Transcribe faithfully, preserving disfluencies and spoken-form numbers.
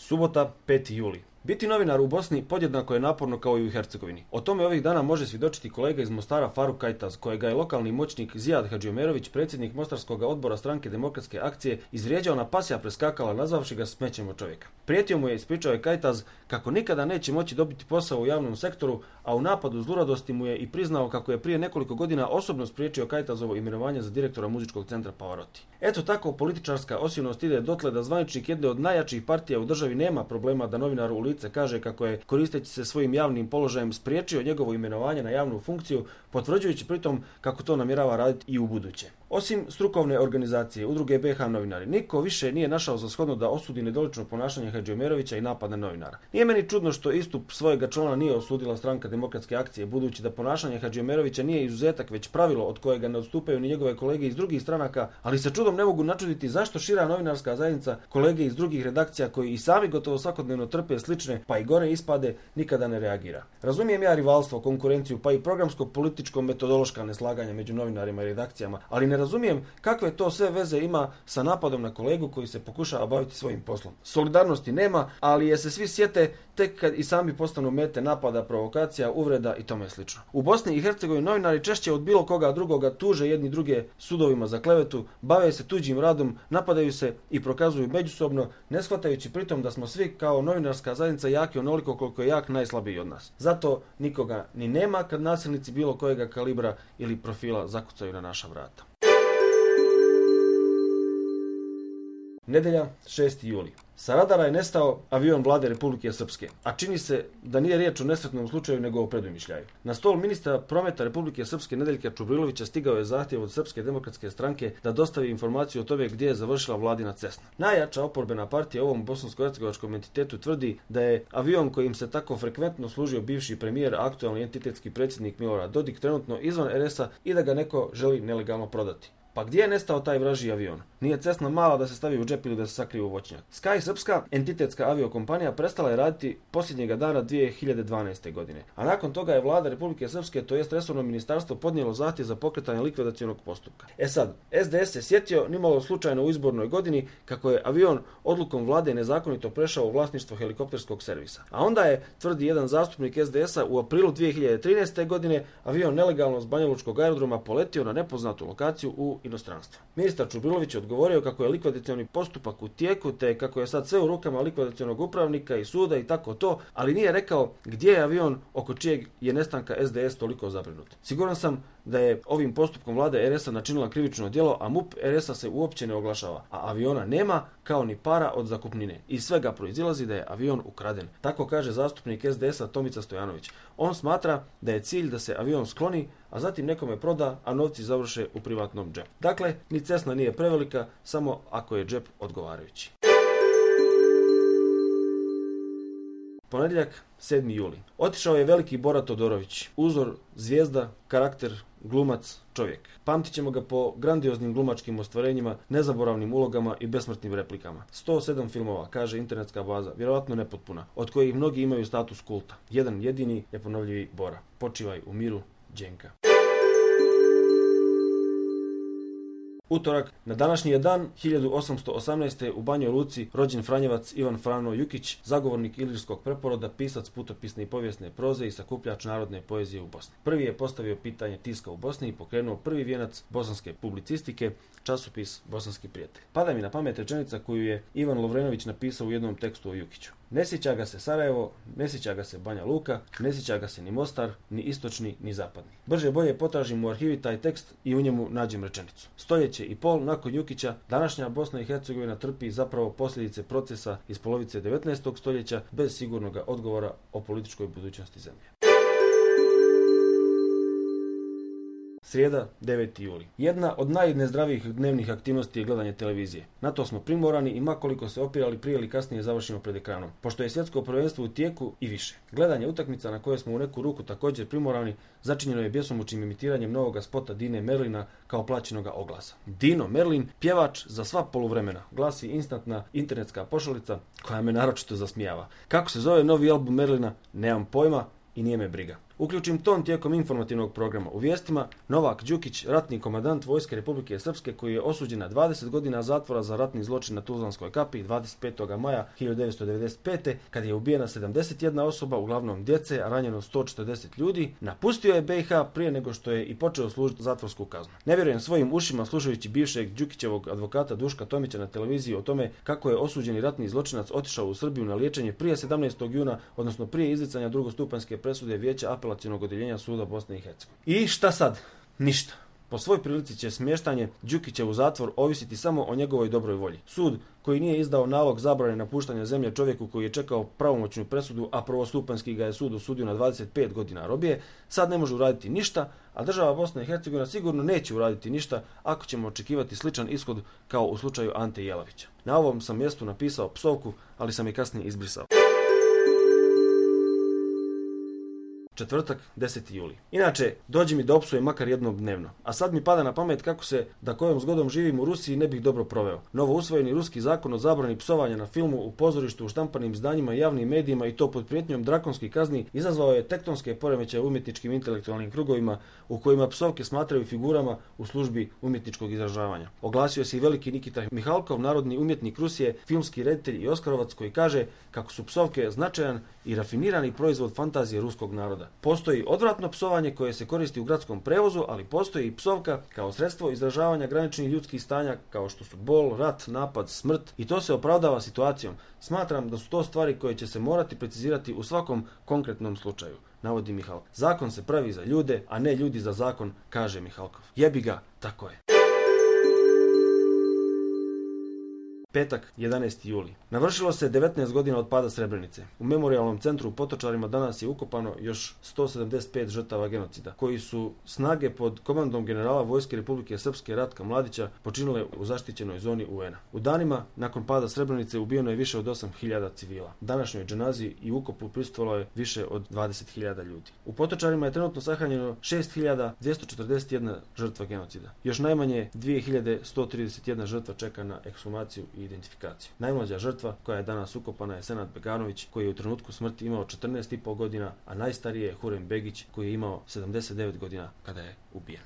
Subota, peti juli. Biti novinar u Bosni podjednako je naporno kao i u Hercegovini. O tome ovih dana može svjedočiti kolega iz Mostara Faruk Kajtaz, kojega je lokalni moćnik Zijad Hadžiomerović, predsjednik Mostarskog odbora stranke Demokratske akcije, izvrijeđao na pasja preskakala nazvavši ga smećem od čovjeka. Prijetio mu je, ispričao je Kajtaz, kako nikada neće moći dobiti posao u javnom sektoru, a u napadu zluradosti mu je i priznao kako je prije nekoliko godina osobno spriječio Kajtazovo imenovanje za direktora muzičkog centra Pavarotti. Eto tako političarska osilnost ide dotle da zvaničnik jedne od najjačih partija u državi nema problema da novinaru u lice kaže kako je, koristeći se svojim javnim položajem, spriječio njegovo imenovanje na javnu funkciju, potvrđujući pritom kako to namjerava raditi i u buduće. Osim strukovne organizacije, udruge B H novinari, niko više nije našao za shodno da osudi nedolično ponašanje Hadžiomerovića i napad na novinara. Nije meni čudno što istup svojega člana nije osudila stranka Demokratske akcije, budući da ponašanje Hadžiomerovića nije izuzetak već pravilo od kojega ne odstupaju ni njegove kolege iz drugih stranaka, ali se čudom ne mogu načuditi zašto šira novinarska zajednica, kolege iz drugih redakcija koji i sami gotovo svakodnevno trpe slične pa i gore ispade, nikada ne reagira. Razumijem ja rivalstvo, konkurenciju pa i programsko političko metodološka neslaganja među novinarima i redakcijama, ali ne razumijem kakve to sve veze ima sa napadom na kolegu koji se pokušava baviti svojim poslom. Solidarnosti nema, ali je se svi sjete tek kad i sami postanu mete napada, provokacija, uvreda i tome slično. U Bosni i Hercegovini novinari češće od bilo koga drugoga tuže jedni druge sudovima za klevetu, bave se tuđim radom, napadaju se i prokazuju međusobno, ne shvatajući pritom da smo svi kao novinarska zajednica jaki onoliko koliko je jak najslabiji od nas. Zato nikoga ni nema kad nasilnici bilo kojega kalibra ili profila zakucaju na naša vrata. Nedjelja, šesti juli. Sa radara je nestao avion vlade Republike Srpske, a čini se da nije riječ o nesretnom slučaju nego o predumišljaju. Na stol ministra prometa Republike Srpske Nedeljka Čubrilovića stigao je zahtjev od Srpske demokratske stranke da dostavi informaciju o tome gdje je završila vladina Cessna. Najjača oporbena partija ovom bosansko-hercegovačkom entitetu tvrdi da je avion kojim se tako frekventno služio bivši premijer, aktualni entitetski predsjednik Milorad Dodik, trenutno izvan er es a i da ga neko želi nelegalno prodati. Pa gdje je nestao taj vražji avion? Nije Cessna mala da se stavi u džep ili da se sakrije u voćnjak. Sky Srpska, entitetska aviokompanija, prestala je raditi posljednjega dana dvije hiljade dvanaeste. godine. A nakon toga je vlada Republike Srpske, to jest resorno ministarstvo, podnijelo zahtjev za pokretanje likvidacionog postupka. E sad, es de es se sjetio, nimalo slučajno u izbornoj godini, kako je avion odlukom vlade nezakonito prešao u vlasništvo helikopterskog servisa. A onda je, tvrdi jedan zastupnik es de es a, u aprilu dvije hiljade trinaeste. godine avion nelegalno s Banjalučkog aerodroma poletio na nepoznatu lokaciju u inostranstvo. Ministar Čubrilović je odgovorio kako je likvidacioni postupak u tijeku, te kako je sad sve u rukama likvidacionog upravnika i suda i tako to, ali nije rekao gdje je avion oko čijeg je nestanka es de es toliko zabrinut. Siguran sam da je ovim postupkom vlade er es a načinila krivično djelo, a MUP er es a se uopće ne oglašava, a aviona nema kao ni para od zakupnine. Iz svega proizilazi da je avion ukraden. Tako kaže zastupnik es de es a Tomica Stojanović. On smatra da je cilj da se avion skloni, a zatim nekome proda, a novci završe u privatnom džepu. Dakle, ni Cessna nije prevelika, samo ako je džep odgovarajući. Ponedjeljak, sedmi juli. Otišao je veliki Bora Todorović, uzor, zvijezda, karakter, glumac, čovjek. Pamtit ćemo ga po grandioznim glumačkim ostvarenjima, nezaboravnim ulogama i besmrtnim replikama. sto sedam filmova, kaže internetska baza, vjerojatno nepotpuna, od kojih mnogi imaju status kulta. Jedan jedini neponovljivi Bora. Počivaj u miru, Đenka. Utorak, na današnji je dan hiljadu osamsto osamnaeste. u Banjoj Luci rođen Franjevac Ivan Frano Jukić, zagovornik ilirskog preporoda, pisac putopisne i povijesne proze i sakupljač narodne poezije u Bosni. Prvi je postavio pitanje tiska u Bosni i pokrenuo prvi vijenac bosanske publicistike, časopis Bosanski prijatelj. Pada mi na pamet rečenica koju je Ivan Lovrenović napisao u jednom tekstu o Jukiću. Ne sjeća ga se Sarajevo, ne sjeća ga se Banja Luka, ne sjeća ga se ni Mostar, ni istočni, ni zapadni. Brže bolje potražim u arhivi taj tekst i u njemu nađem rečenicu. Stoljeće i pol nakon Jukića, današnja Bosna i Hercegovina trpi zapravo posljedice procesa iz polovice devetnaestog. stoljeća bez sigurnog odgovora o političkoj budućnosti zemlje. Srijeda, deveti juli. Jedna od najnezdravijih dnevnih aktivnosti je gledanje televizije. Na to smo primorani i makoliko se opirali prije ili kasnije završimo pred ekranom, pošto je svjetsko prvenstvo u tijeku i više. Gledanje utakmica na koje smo u neku ruku također primorani začinjeno je bjesomučnim imitiranjem novoga spota Dine Merlina kao plaćenoga oglasa. Dino Merlin, pjevač za sva poluvremena, glasi instantna internetska pošalica koja me naročito zasmijava. Kako se zove novi album Merlina, nemam pojma i nije me briga. uključim ton tijekom informativnog programa. U vijestima Novak Đukić, ratni komandant Vojske Republike Srpske koji je osuđen na dvadeset godina zatvora za ratni zločin na Tuzlanskoj kapi dvadeset petog maja hiljadu devetsto devedeset pete kad je ubijena sedamdeset jedna osoba, uglavnom djece, a ranjeno sto četrdeset ljudi, napustio je B i H prije nego što je i počeo služiti zatvorsku kaznu. Ne vjerujem svojim ušima slušajući bivšeg Đukićevog advokata Duška Tomića na televiziji o tome kako je osuđeni ratni zločinac otišao u Srbiju na liječenje prije sedamnaestog juna, odnosno prije izricanja drugostupanjske presude Vijeća apelacionog odjeljenja suda Bosne i Hercegovine. I šta sad? Ništa. Po svoj prilici će smještanje Đukića u zatvor ovisiti samo o njegovoj dobroj volji. Sud koji nije izdao nalog zabrane napuštanja zemlje čovjeku koji je čekao pravomoćnu presudu, a prvostupanjski ga je sud osudio na dvadeset pet godina robije, sad ne može uraditi ništa, a država Bosna i Hercegovina sigurno neće uraditi ništa ako ćemo očekivati sličan ishod kao u slučaju Ante Jelavića. Na ovom sam mjestu napisao psovku, ali sam je kasnije izbrisao. Četvrtak, deseti juli. Inače, dođi mi da opsujem makar jednom dnevno. A sad mi pada na pamet kako se, da kojom zgodom živim u Rusiji, ne bih dobro proveo. Novo usvojeni ruski zakon o zabrani psovanja na filmu, u pozorištu, u štampanim izdanjima i javnim medijima i to pod prijetnjom drakonskih kazni izazvao je tektonske poremećaje u umjetničkim intelektualnim krugovima u kojima psovke smatraju figurama u službi umjetničkog izražavanja. Oglasio se i veliki Nikita Mihalkov, narodni umjetnik Rusije, filmski reditelj i oskarovac koji kaže kako su psovke značajan i rafinirani proizvod fantazije ruskog naroda. Postoji odvratno psovanje koje se koristi u gradskom prevozu, ali postoji i psovka kao sredstvo izražavanja graničnih ljudskih stanja kao što su bol, rat, napad, smrt i to se opravdava situacijom. Smatram da su to stvari koje će se morati precizirati u svakom konkretnom slučaju, navodi Mihal. Zakon se pravi za ljude, a ne ljudi za zakon, kaže Mihalkov. Jebi ga, tako je. Petak, jedanaesti juli. Navršilo se devetnaest godina od pada Srebrenice. U memorijalnom centru u Potočarima danas je ukopano još sto sedamdeset pet žrtava genocida, koji su snage pod komandom generala Vojske Republike Srpske Ratka Mladića počinile u zaštićenoj zoni U N A. U danima nakon pada Srebrenice ubijeno je više od osam hiljada civila. Današnjoj dženazi i ukopu prisustvovalo je više od dvadeset hiljada ljudi. U Potočarima je trenutno sahranjeno šest hiljada dvjesto četrdeset jedna žrtva genocida. Još najmanje dvije hiljade sto trideset jedna žrtva čeka na ekshumaciju i identifikaciju. Najmlađa žrtva koja je danas ukopana je Senad Beganović koji je u trenutku smrti imao četrnaest i pol godina, a najstariji je Hurem Begić koji je imao sedamdeset devet godina kada je ubijen.